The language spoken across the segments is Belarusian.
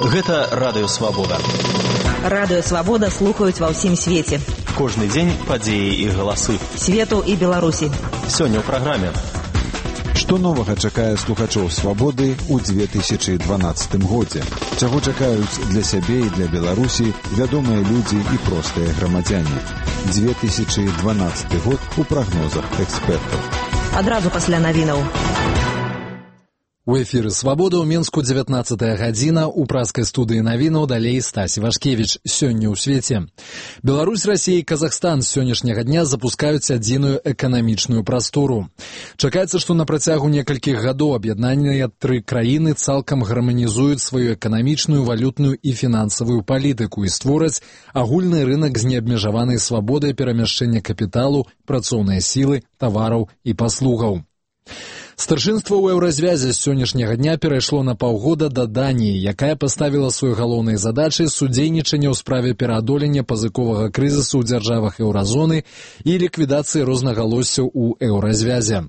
Гэта Радыё Свабода. Радыё Свабода слухаюць ва ўсім свеце. Кожны дзень падзеі і галасы. Свету і Беларусі. Сёння ў праграме. Што новага чакае слухачоў Свабоды ў 2012 годзе? Чаго чакаюць для сябе і для Беларусі вядомыя людзі і простыя грамадзяне? 2012 год у прагнозах экспертаў. Адразу пасля навінаў. У эфіры «Свабода» ў Мінску 19-я гадзіна, у праскай студыі навінаў далей Стась Івашкевіч. Сёння ў свеце. Беларусь, Расія і Казахстан з сённяшняга дня запускаюць адзіную эканамічную прастору. Чакаецца, што на працягу некалькіх гадоў аб'яднаныя тры краіны цалкам гарманізуюць сваю эканамічную, валютную і фінансавую палітыку і створаць агульны рынак з неабмежаванай свабодай перамяшчэння капіталу, працоўнай сілы, тавараў і паслугаў. Старшынства ў еўразвязе з сённяшняга дня перайшло на паўгода да Даніі, якая паставіла сваёй галоўнай задачай судзейнічанне ў справе пераадолення пазыковага крызісу ў дзяржавах еўразоны і ліквідацыі рознагалоссяў у еўразвязе.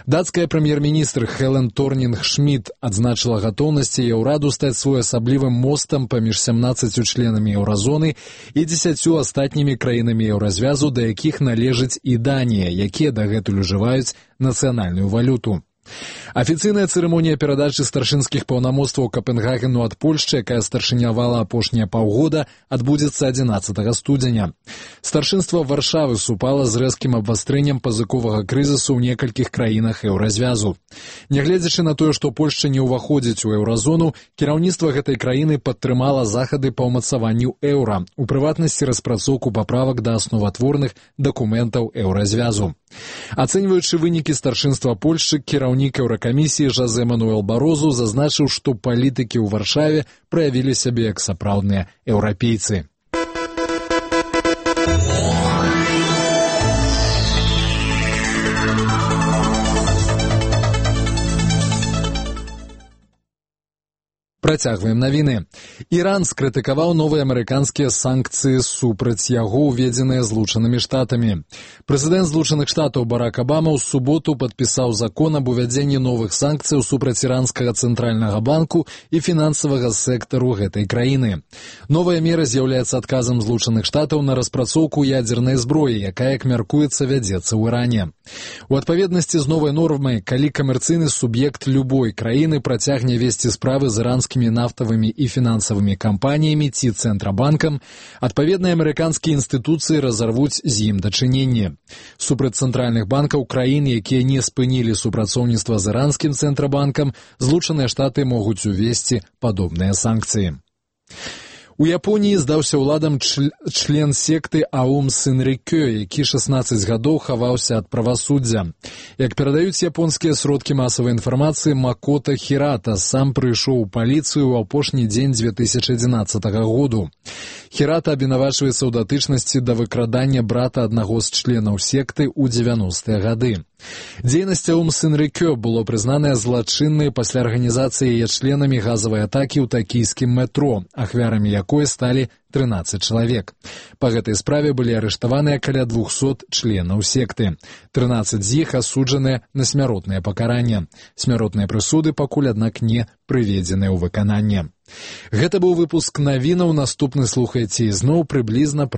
Дацкая прэм'ер-міністр Хелен Торнінг-Шмідт адзначыла гатоўнасць яе ўраду стаць своеасаблівым мостам паміж 17 членамі еўразоны і 10 астатнімі краінамі еўразвязу, да якіх належыць і Данія, якія дагэтуль ужываюць нацыянальную валюту. Афіцыйная цырымонія перадачы старшынскіх паўнамоцтваў Капенгагену ад Польшчы, якая старшынявала апошнія паўгода, адбудзецца 11 студзеня. Старшынства Варшавы супала з рэзкім абвастрэннем пазыковага крызісу ў некалькіх краінах еўразвязу. Нягледзячы на тое, што Польшча не ўваходзіць у еўразону, кіраўніцтва гэтай краіны падтрымала захады па ўмацаванню еўра, у прыватнасці распрацоўку паправак да асноватворных дакументаў еўразвязу. Ацэньваючы вынікі старшынства Польшчы, кіраўнік Еўракамісіі Жозе Мануэл Барозу зазначыў, што палітыкі ў Варшаве праявілі сябе як сапраўдныя еўрапейцы. Працягваем навіны. Іран скрытыкаваў новыя амерыканскія санкцыі супраць яго, уведзеныя Злучанымі Штатамі. Прэзідэнт Злучаных Штатаў Барак Абама ў суботу падпісаў закон аб увядзенні новых санкцыяў супраць іранскага цэнтральнага банку і фінансавага сектару гэтай краіны. Новая мера з'яўляецца адказам Злучаных Штатаў на распрацоўку ядзернай зброі, якая, як мяркуецца, вядзецца ў Іране. У адпаведнасці з новай нормай, калі камерцыйны суб'ект любой краіны працягне весці справы з іранскімі нафтавымі і фінансавымі кампаніямі ці цэнтрабанкам, адпаведныя амерыканскія інстытуцыі разарвуць з ім дачыненне. Супраць цэнтральных банкаў краін, якія не спынілі супрацоўніцтва з іранскім цэнтрабанкам, Злучаныя Штаты могуць увесці падобныя санкцыі. У Японіі здаўся ўладам член секты Аум Сынрикё, які 16 гадоў хаваўся ад правасуддзя. Як перадаюць японскія сродкі масавай інфармацыі, Макото Хірата сам прыйшоў у паліцыю ў апошні дзень 2011 году. Хірата абвінавачваецца ў датычнасці да выкрадання брата аднаго з членаў секты ў 90-е гады. Дзейнасць Аум Сынрикё было прызнанае злачыннай пасля арганізацыі яе членамі газавай атакі ў такійскім метро, ахвярамі якой сталі 13 чалавек. Па гэтай справе былі арыштаваныя каля 200 членаў секты. 13 з іх асуджаныя на смяротнае пакаранне. Смяротныя прысуды пакуль, аднак, не прыведзеныя ў выкананне. Гэта быў выпуск навінаў. Наступны слухайце ізноў прыблізна